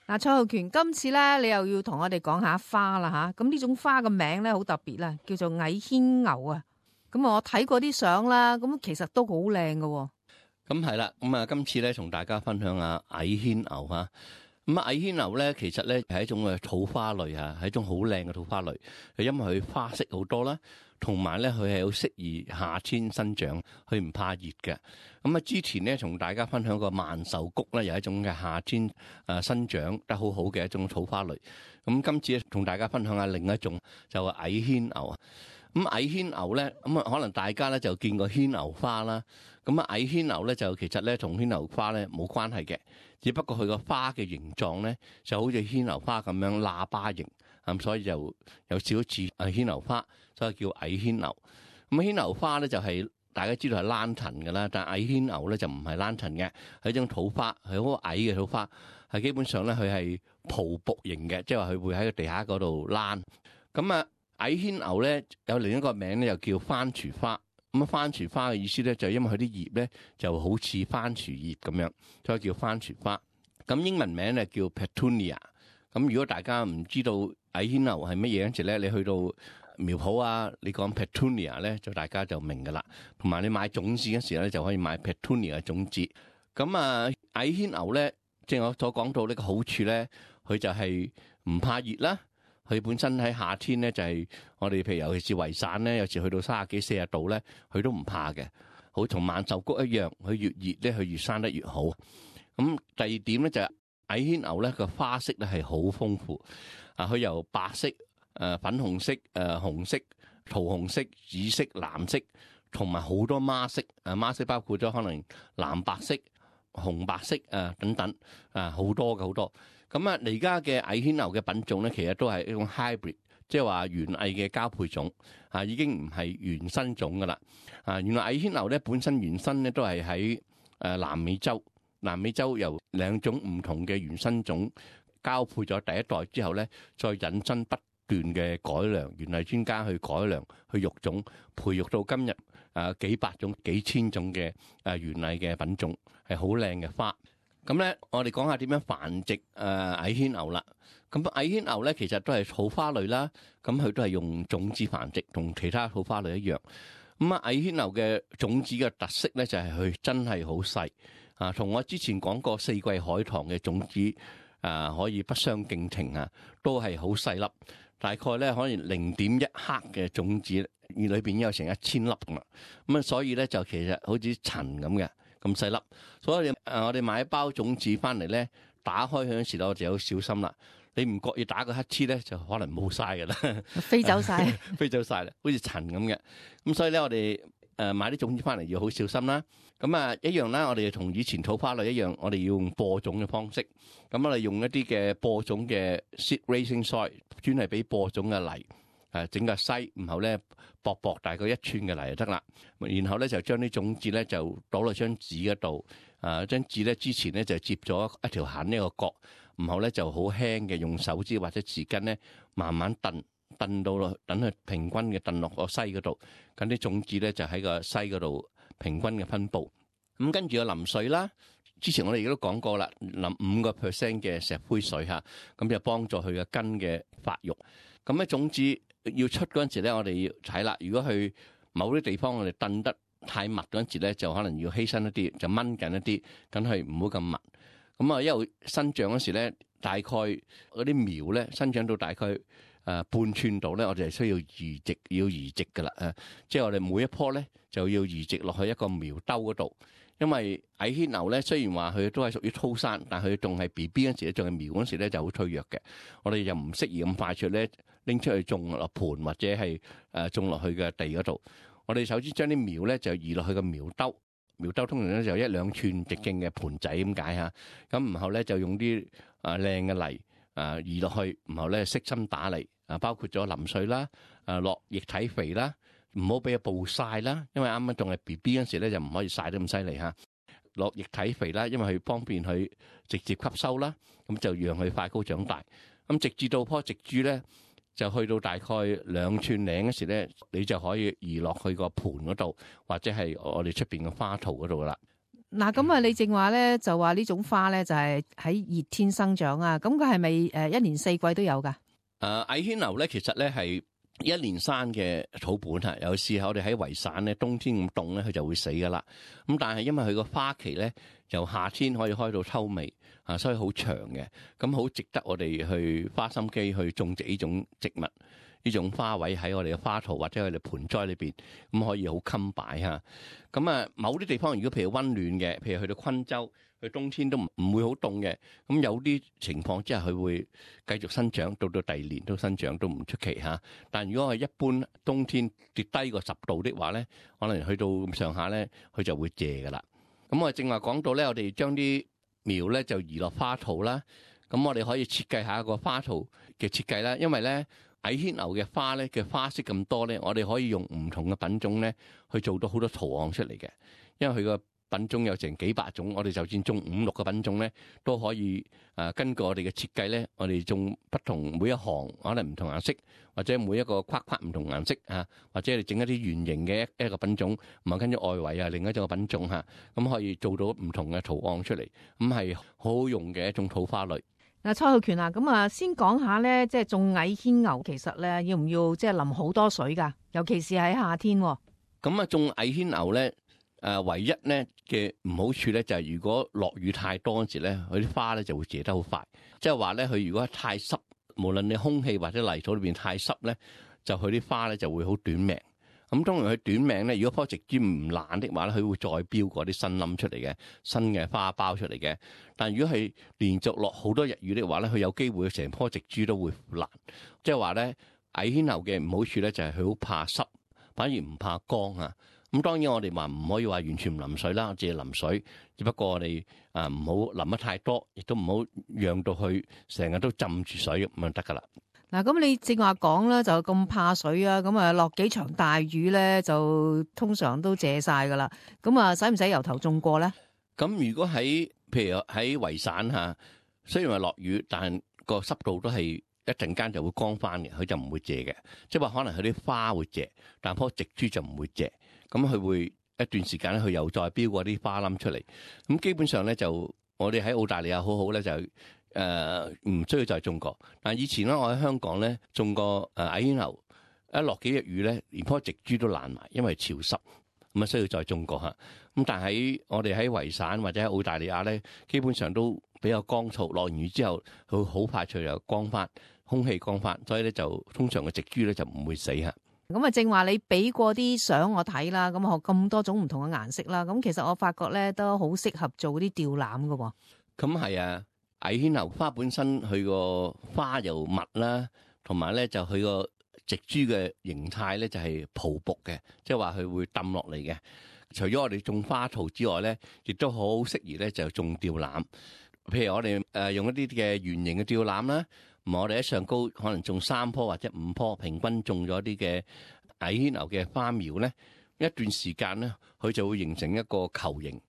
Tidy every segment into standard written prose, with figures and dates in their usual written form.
嗱，蔡浩權，今次咧你又要同我哋講下花啦吓，咁呢種花嘅名咧好特別啦，叫做矮牽牛啊。咁我睇過啲相啦，咁其實都好靚㗎。咁係啦，咁啊今次咧同大家分享下矮牽牛吓。咁矮牽牛咧，其實咧係一種嘅草花類啊，係一種好靚嘅草花類。因為佢花色好多啦，同埋咧佢係好適宜夏天生長，佢唔怕熱嘅。咁啊之前咧同大家分享過萬壽菊咧，又係一種嘅夏天生長得好好嘅一種草花類。咁今次咧同大家分享下另一種就係矮牽牛啊。咁矮牽牛咧，咁啊可能大家咧就見過牽牛花啦。咁啊矮牽牛咧就其實咧同牽牛花咧冇關係嘅，只不過佢個花嘅形狀咧就好似牽牛花咁樣喇叭形，咁所以就有少少似牽牛花，所以叫矮牽牛。咁牽牛花咧就係大家知道係蘭藤㗎啦，但係矮牽牛咧就唔係蘭藤嘅，係一種土花，係好矮嘅土花，係基本上咧佢係蒲蒲型嘅，即係話佢會喺個地下嗰度躝。咁啊矮牽牛咧有另一個名咧，又叫番薯花。咁啊番薯花嘅意思咧，就因為佢啲葉咧就好似番薯葉咁樣，所以叫番薯花。咁英文名咧叫 Petunia。咁如果大家唔知道矮牽牛係乜嘢嗰陣時咧，你去到苗圃啊，你講 Petunia 咧，就大家就明噶啦。同埋你買種子嗰時咧，就可以買 Petunia 嘅種子。咁啊矮牽牛咧，正如我所講到呢個好處咧，佢就係唔怕熱啦。佢本身喺夏天咧，就係我哋譬如尤其是圍傘咧，有時去到30幾40度咧，佢都唔怕嘅。好同萬壽菊一樣，佢越熱咧，佢越生得越好。咁第二點咧就係矮牽牛咧個花色咧係好豐富。佢由白色、粉紅色、紅色、桃紅色、紫色、藍色，同埋好多孖色。孖色包括咗可能藍白色、紅白色等等好多嘅好多。咁而家嘅矮牽牛嘅品種咧，其實都係一種 hybrid， 即係話園藝嘅交配種已經唔係原生種噶啦。原來矮牽牛咧本身原生咧都係喺南美洲，南美洲由兩種唔同嘅原生種交配咗第一代之後咧，再引申不斷嘅改良，園藝專家去改良去育種，培育到今日幾百種、幾千種嘅園藝嘅品種，係好靚嘅花。咁咧，我哋講下點樣繁殖矮牽牛啦。咁矮牽牛咧，其實都係草花類啦。咁佢都係用種子繁殖，同其他草花類一樣。咁矮牽牛嘅種子嘅特色咧，就係佢真係好細同我之前講過四季海棠嘅種子可以不相敬情都係好細粒，大概咧可能0.1克嘅種子，裏邊有成1000粒㗎嘛。咁所以咧就其實好似塵咁嘅。咁細粒，所以我哋買一包種子翻嚟咧，打開佢嗰時咧，我就好小心啦。你唔覺意打個乞嗤咧，就可能冇晒㗎啦，飛走晒，飛走晒啦，好似塵咁嘅。咁所以咧，我哋買啲種子翻嚟要好小心啦。咁一樣啦，我哋同以前草花類一樣，我哋要用播種嘅方式。咁我哋用一啲嘅播種嘅 seed raising soil， 專係俾播種嘅泥。整個篩，然後咧薄薄大概1寸嘅泥就得啦。然後咧就將啲種子咧就倒落張紙嗰度。張紙咧之前咧就接咗一條痕呢個角，然後咧就好輕嘅用手指或者匙羹咧慢慢燉到落，等佢平均嘅燉落個篩嗰度。咁啲種子咧就喺個篩嗰度平均嘅分佈。咁跟住個淋水啦。之前我哋亦都講過啦，淋5% 嘅石灰水咁就幫助佢嘅根嘅發育。咁咧種子要出嗰陣時咧，我哋要睇啦。如果去某啲地方我哋燉得太密嗰陣時咧，就可能要犧牲一啲，就掹緊一啲，咁係唔好咁密。咁因為生長嗰時咧，大概嗰啲苗咧生長到大概半寸度咧，我哋係需要移植噶啦。即係我哋每一棵咧就要移植落去一個苗兜嗰度。因為矮牽牛咧，雖然話佢都係屬於粗生，但佢仲係 BB 嗰時咧，仲係苗嗰時咧就好脆弱嘅。我哋就唔適宜咁快速咧拎出去種落盆或者係種落去嘅地嗰度。我哋首先將啲苗咧就移落去個苗兜，苗兜通常咧就1-2寸直徑嘅盆仔咁解嚇。咁然後咧就用啲靚嘅泥移落去，然後咧悉心打理包括咗淋水啦，落液體肥啦。唔好俾佢暴曬啦，因為啱啱仲係 BB 嗰時咧就唔可以曬得咁犀利嚇。落液體肥啦，因為佢方便佢直接吸收啦，咁就讓佢快高長大。咁直至到棵植株咧，就去到大概2寸零嗰時咧，你就可以移落去個盆嗰度，或者係我哋出邊嘅花槽嗰度啦。嗱，咁啊，你正話咧就話呢種花咧就係喺熱天生長啊，咁佢係咪一年四季都有㗎？矮萱樓咧，其實咧係一年生嘅草本啊。有時候我哋喺維省咧，冬天咁凍咧，佢就會死噶啦。咁但係因為佢個花期咧，由夏天可以開到秋尾啊，所以好長嘅。咁好值得我哋去花心機去種植呢種植物。呢種花卉喺我哋嘅花槽或者我哋盆栽裏邊，咁可以好襟擺嚇。咁啊，某啲地方如果譬如溫暖嘅，譬如去到昆州，佢冬天都唔會好凍嘅。咁有啲情況之下，佢會繼續生長，到第二年都生長都唔出奇嚇。但如果係一般冬天跌低過10度的話咧，可能去到咁上下咧，佢就會謝噶啦。咁我正話講到咧，我哋將啲苗咧就移落花槽啦。咁我哋可以設計下一個花槽嘅設計啦，因為咧，矮萱牛嘅花咧嘅花色咁多咧，我哋可以用唔同嘅品種咧去做到好多圖案出嚟嘅。因為佢個品種有成幾百種，我哋就算種5-6個品種咧，都可以根據我哋嘅設計咧，我哋種不同每一行可能唔同顏色，或者每一個框框唔同顏色啊，或者你整一啲圓形嘅一個品種，唔係跟住外圍啊另一種品種嚇，咁可以做到唔同嘅圖案出嚟，咁係好好用嘅一種土花類。嗱，蔡浩權啊，咁啊，先講下咧，即係種矮萱牛，其實咧要唔要即係淋好多水㗎？尤其是喺夏天。咁啊，種矮萱牛咧，唯一咧嘅唔好處咧就係如果落雨太多嗰時咧，佢啲花咧就會謝得好快。即係話咧，佢如果太濕，無論你空氣或者泥土裏邊太濕咧，就佢啲花咧就會好短命。咁當然佢短命咧，如果棵植株唔爛的話咧，佢會再標過啲新冧出嚟嘅新嘅花苞出嚟嘅。但如果係連續落好多日雨的話咧，佢有機會成棵植株都會腐爛。即係話咧，矮萱牛嘅唔好處咧就係佢好怕濕，反而唔怕乾啊。咁當然我哋話唔可以話完全唔淋水啦，只係淋水，只不過我哋唔好淋得太多，亦都唔好讓到佢成日都浸住水咁就得噶啦。嗱，咁你正話講啦，就咁怕水啊，咁啊落幾場大雨咧，就通常都謝晒噶啦。咁啊，使唔使由頭種過咧？咁如果譬如喺維省嚇，雖然話落雨，但個濕度都係一陣間就會乾翻嘅，佢就唔會謝嘅。即係話可能佢啲花會謝，但棵植株就唔會謝。咁佢會一段時間咧，佢又再標過啲花冧出嚟。咁基本上咧，就我哋喺澳大利亞好好咧，就唔需要再種過。但以前咧，我喺香港咧種過矮萱牛，一落幾日雨咧，連棵植株都爛埋，因為潮濕，咁啊需要再種過嚇。咁但係我哋喺維省或者喺澳大利亞咧，基本上都比較乾燥，落完雨之後佢好快脆又乾翻，空氣乾翻，所以咧就通常嘅植株咧就唔會死嚇。咁啊，正話你俾過啲相我睇啦，咁學咁多種唔同嘅顏色啦，咁其實我發覺咧都好適合做啲吊籃㗎喎。咁係啊，矮萱牛花本身佢個花又密啦，同埋咧就佢個植株嘅形態咧就係蒲卜嘅，即係話佢會揼落嚟嘅。除咗我哋種花槽之外咧，亦都好適宜咧就種吊籃。譬如我哋用一啲嘅圓形嘅吊籃啦。我哋喺上高可能種3棵或者5棵，平均種咗啲嘅矮萱牛嘅花苗咧，一段時間咧，佢就會形成一個球形。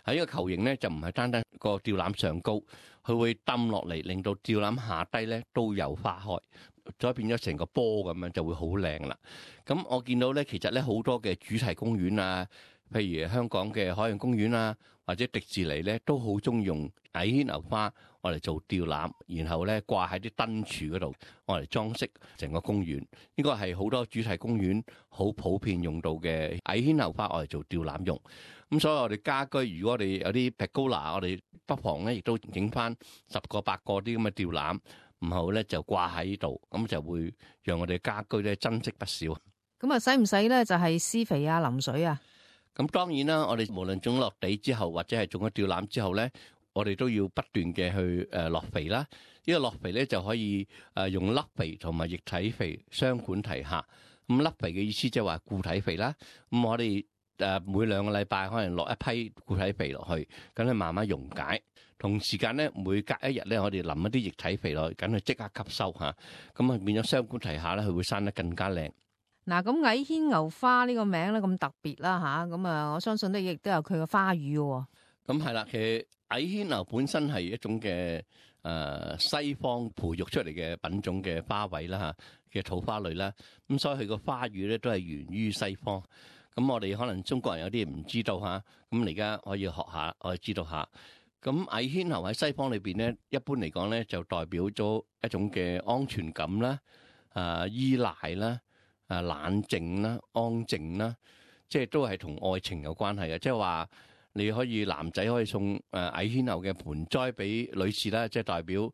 喺呢個球形咧，就唔係單單個吊籃上高，佢會揼落嚟，令到吊籃下低咧都有花開，再變咗成個波咁樣，就會好靚啦。咁我見到咧，其實咧好多嘅主題公園啊，譬如香港嘅海洋公園啊，或者迪士尼咧，都好中意用矮萱牛花我嚟做吊籃，然後咧掛喺啲燈柱嗰度，我嚟裝飾成個公園。呢個係好多主題公園好普遍用到嘅矮萱牛花，我嚟做吊籃用。咁所以我哋家居，如果我哋有啲 pergola，我哋不妨咧亦都整翻10個8個啲咁嘅吊籃，然後咧就掛喺呢度，咁就會讓我哋家居咧增色不少。咁啊，使唔使咧就係施肥啊、淋水啊？咁當然啦，我哋無論種落地之後，或者係種咗吊籃之後咧，我哋都要不斷嘅去落肥啦。呢個落肥咧就可以用粒肥同埋液體肥雙管齊下。咁粒肥嘅意思即係話固體肥啦。咁我哋每2個禮拜可能落一批固體肥落去，咁佢慢慢溶解。同時間咧，每隔1日咧，我哋淋一啲液體肥落去，咁佢即刻吸收嚇。咁啊變咗雙管齊下咧，佢會生得更加靚。嗱，咁矮萱牛花呢個名咧咁特別啦吓，咁啊我相信咧亦都有佢嘅花語嘅。咁係啦，其實矮萱牛本身係一種嘅西方培育出嚟嘅品種嘅花卉啦嚇嘅土花類啦，咁所以佢個花語咧都係源於西方。咁我哋可能中國人有啲唔知道嚇，咁你而家可以學下，我哋知道下。咁矮牽牛喺西方裏邊咧，一般嚟講咧就代表咗一種嘅安全感啦、依賴啦、冷靜啦、安靜啦，即係都係同愛情有關係嘅。即係話你可以男仔可以送矮牽牛嘅盆栽俾女士啦，即係代表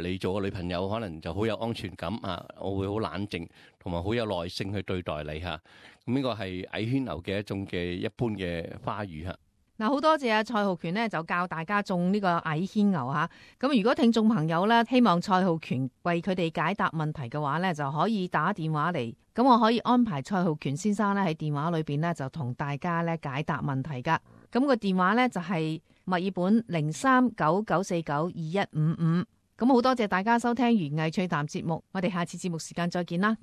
你做個女朋友可能就好有安全感啊，我會好冷靜同埋好有耐性去對待你嚇。咁呢個係矮牽牛嘅一種嘅一般嘅花語嚇。嗱，好多謝蔡浩權呢，就教大家種呢個矮牽牛吓。咁如果聽眾朋友呢，希望蔡浩權為佢哋解答問題嘅話呢，就可以打電話嚟。咁我可以安排蔡浩權先生呢喺電話裏邊呢，就同大家呢解答問題噶。咁個電話呢，就係墨爾本0399492155。咁好多謝大家收聽園藝趣談節目，我哋下次節目時間再見啦。